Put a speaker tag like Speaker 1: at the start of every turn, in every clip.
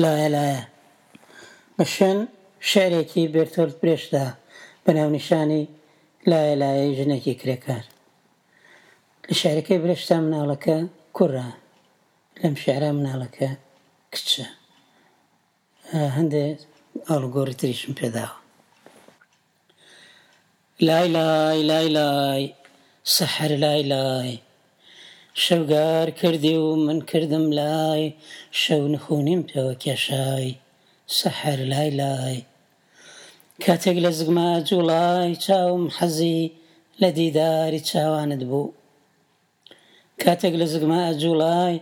Speaker 1: لایە لایە بە شوێن شیعرێکی بێرتۆلت برێشتدا بە ناونیشانی لایە لایەی ژنێکی کرێکار. لە شیعرەکەی برێشتدا مناڵەکە کوڕە، لەم شیعرە مناڵەکە کچە. هەندێ ئاڵوگۆڕی تریشم پێداوە. لای لای لای لای سەحەر لای لای شەوگار کردی و من کردم لای شەو نخونیم پێوە کێشای سەحەر لای لای کاتێک لە زگما جوڵای چاوم حەزی لە دیداری چاوانت بوو کاتێک لە زگما ئەجوڵای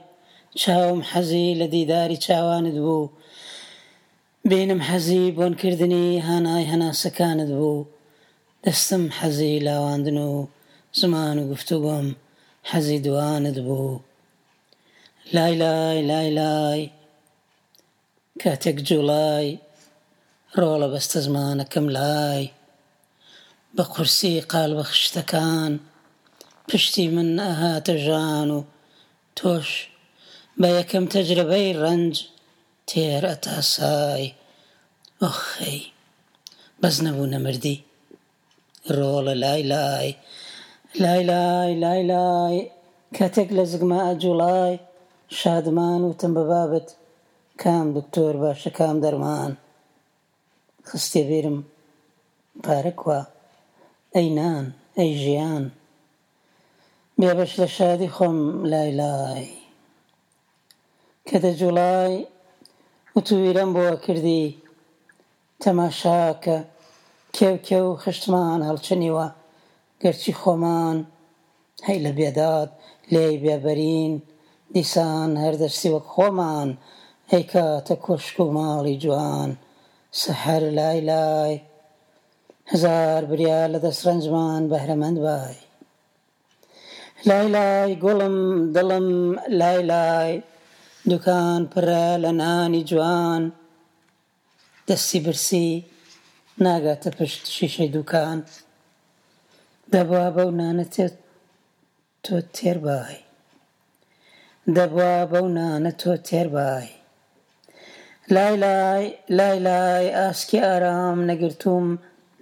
Speaker 1: چاوم حەزی لە دیداری چاوانت بوو بینم حەزی بۆنکردنی هانای هەناسەکانت بوو دەستم حەزی لاواندن و زمان و گفتوگۆم حەزی دوانت بوو لای لای لای لای کاتێک جوڵای ڕۆڵە بەستەزمانەکەم لای بە قورسی قالبە خشتەکان پشتی من ئەهاتە ژان و تۆش بە یەکەم تەجرەبەی ڕەنج تێر ئەتاسای ئۆخەی بەس نەبوو نەمردی ڕۆڵە لای لای لای لای لای لای کاتێک لە زگما ئەجوڵای شادمان وتم بە بابت کام دکتۆر باشە کام دەرمان خستیە بیرم پارە کوا ئەی نان ئەی ژیان بێبەش لە شادی خۆم لای لای کە دەجوڵای وتویرەم بۆ ئەکردی تەماشاکە کێو کێو خشتمان هەڵچنیوە گەرچی خۆمان هەی لە بێداد لێی بێبەرین دیسان هەر دەستی وەک خۆمان ئەیکاتە کۆشک و ماڵی جوان سەحەر لای لای هەزار بریا لە دەست ڕەنجمان بەهرەمەند بای لای لای گوڵم دڵم لای لای دوکان پڕە لە نانی جوان دەستی برسی ناگاتە پشت شیشەی دوکان دەبوا بەو نانە تۆ تێر بای دەبوا بەو نانە تۆ تێر بای لای لای لای لای ئاسکی ئارام نەگرتووم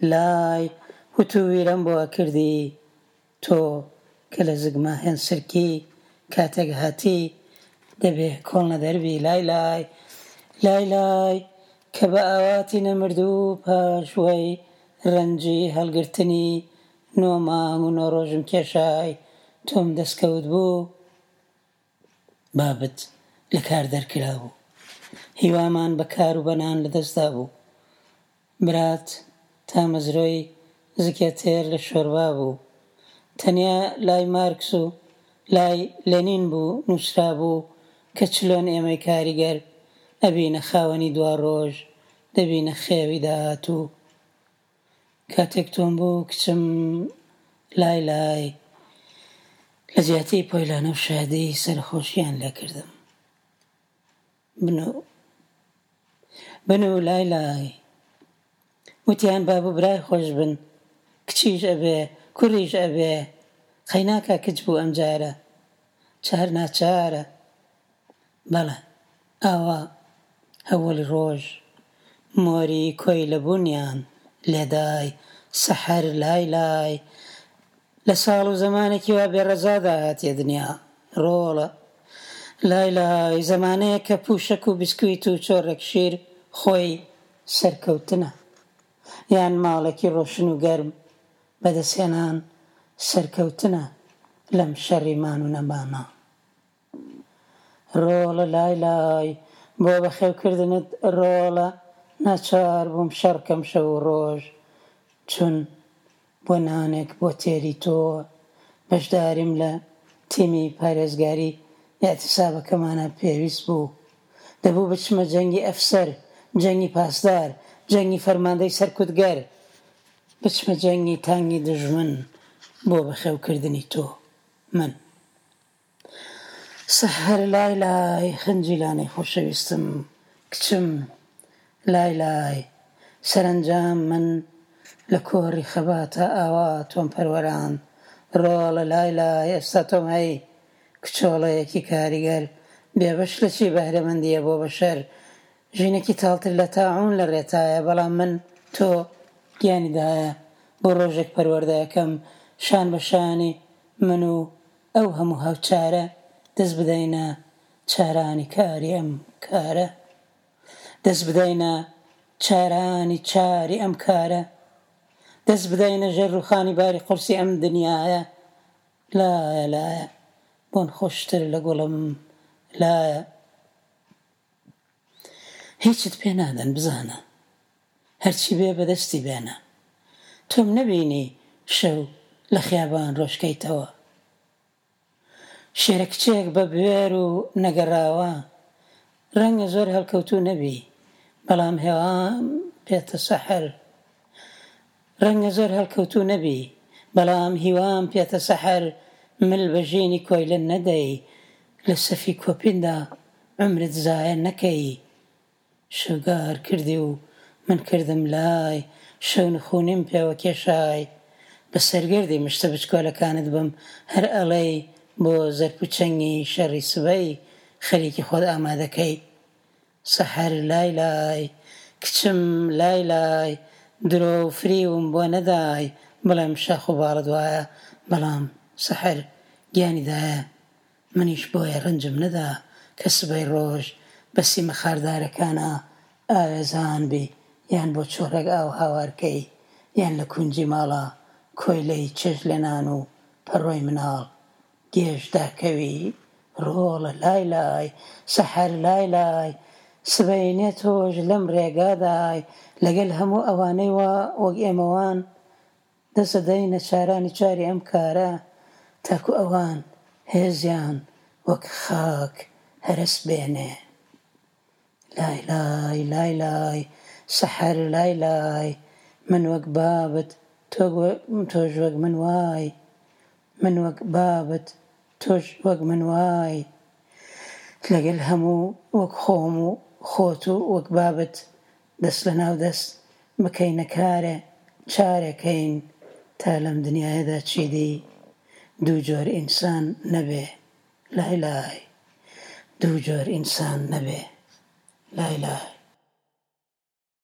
Speaker 1: لای وتوویرەم بۆ ئەکردی تۆ کە لە زگما هێنسرکی کاتێک هاتی دەبێ کۆڵنەدەر بی لای لای لای لای کە بە ئاواتی نەمردوو پاش وەی ڕەنجی هەڵگرتنی نۆ مانگ و نۆ ڕۆژم کێشای تۆم دەستکەوت بوو بابت لە کار دەرکرابوو هیوامان بە کار و بە نان لەدەست دابوو برات تامەزرۆی زگێ تێر لە شۆربا بوو. تەنیا لای مارکس و لای لێنین بوو نووسرابوو کە چلۆن ئێمەی کاریگەر ئەبینە خاوەنی دواڕۆژ، دەبینە خێوی داهاتوو. کاتێک تۆم بوو کچم لای لای لە جیاتی پۆیلانە و شادی سەرخۆشیان لێ کردم. بنوو بنوو لای لای وتیان باب و برای خۆش بن کچیش ئەبێ کوڕیش ئەبێ قەیناکا کچ بوو ئەمجارە چار ناچارە بەڵێ ئاوا هەوەڵی ڕۆژ مۆری کۆیلە بوونیان لێدای سەحەر لای لای لە ساڵ و زەمانێکی وا بێ ڕەزادا هاتیە دنیا ڕۆڵە لای لای زەمانەیەک کە پووشەک و بسکویت و چۆڕێک شیر خۆی سەرکەوتنە یان ماڵێکی ڕۆشن و گەرم بەدەستهێنان سەرکەوتنە لەم شەڕی مان و نەمانە. ڕۆڵە لای لای بۆ بەخێوکردنت ڕۆڵە ناچار بووم شەڕ کەم شەو و ڕۆژ چون بۆ نانێک بۆ تێری تۆ بەشداریم لە تیمی پارێزگاری ئیعتیسابەکەمانا پێویست بوو دەبوو بچمە جەنگی ئەفسەر جەنگی پاسدار جەنگی فەرماندەی سەرکوتگەر بچمە جەنگی تانگی دوژمن بۆ بەخێوکردنی تۆ من سەحەر لای لای خنجیلانەی خۆشەویستم کچم لای لای سەرەنجام من لە کۆڕی خەباتا ئاوا تۆم پەروەراند ڕۆڵە لای لای ئێستا تۆم هەی کچۆڵەیەکی کاریگەر بێبەش لە چی بەهرەمەندییە بۆ بەشەر. ژینێکی تاڵتر لە تاعوون لە ڕێتایە بەڵام من تۆ گیانی دایە بۆ ڕۆژێک پەروەردەکەم شان بە شانی من و ئەو هەموو هاوچارە دەست بدەینە چارانی کاری ئەم کارە دەست بدەینە چارانی چاری ئەم کارە دەست بدەینە ژێر ڕووخانی باری قورسی ئەم دنیایە لایە لایە بۆن خۆشتر لە گوڵم لایە هیچت پێ نادەن بزانە هەرچی بێ بەدەستی بێنە تۆم نەبینی شەو لە خیابان ڕۆژکەیتەوە شێرە کچێک بە بوێر و نەگەڕاوە ڕەنگە زۆر هەڵکەوتوو نەبی بەڵام هێوام پێتە سەحەر ڕەنگە زۆر هەڵکەوتوو نەبی بەڵام هیوام پێتە سەحەر مل بە ژینی کۆیلە نەدەی لە سەفی کۆپیندا عومرت زایە نەکەی شەوگار کردی و من کردم لای شەونخونیم پێوە کێشای بە سەرگەردی مشتە بچکۆلەکانت بم هەر ئەڵێی بۆ زەرپ و چنگی شەڕی سبەی خەریکی خۆت ئامادەکەی سەحەر لای لای کچم لای لای درۆ و فریوم بۆ نەدای بڵێم شاخ و باڵت وایە بەڵام سەحەر گیانی دایە منیش بۆیە ڕەنجم نەدا کە سبەی ڕۆژ بە سیمە خاردارەکانا ئاوێزان بی یان بۆ چۆڕێک ئاو هاوار کەی یان لە کونجی ماڵا کۆیلەی چێشت لێنان و پەڕۆی مناڵ گێژ داکەوی ڕۆڵە لای لای سەحەر لای لای سبەینێ تۆش لەم ڕێگادای لەگەل هەموو ئەوانەی وا وەک ئێمەوان دەست دەدەینە چارانی چاری ئەم کارە تاکو ئەوان هێزیان وەک خاک هەرەس بێنێ. لای لای لای لای سەحەر لای لای من وەک بابت تۆش وەک من وای من وەک بابت تۆش وەک من وای لەگەل هەموو وەک خۆم و خۆت و وەک بابت دەست لەناو دەست بکەینە کارێ چارێ کەین تا لەم دنیایەدا چیدی دوو جۆر ئینسان نەبێ لای لای دوو جۆر ئینسان نەبێ لای لای.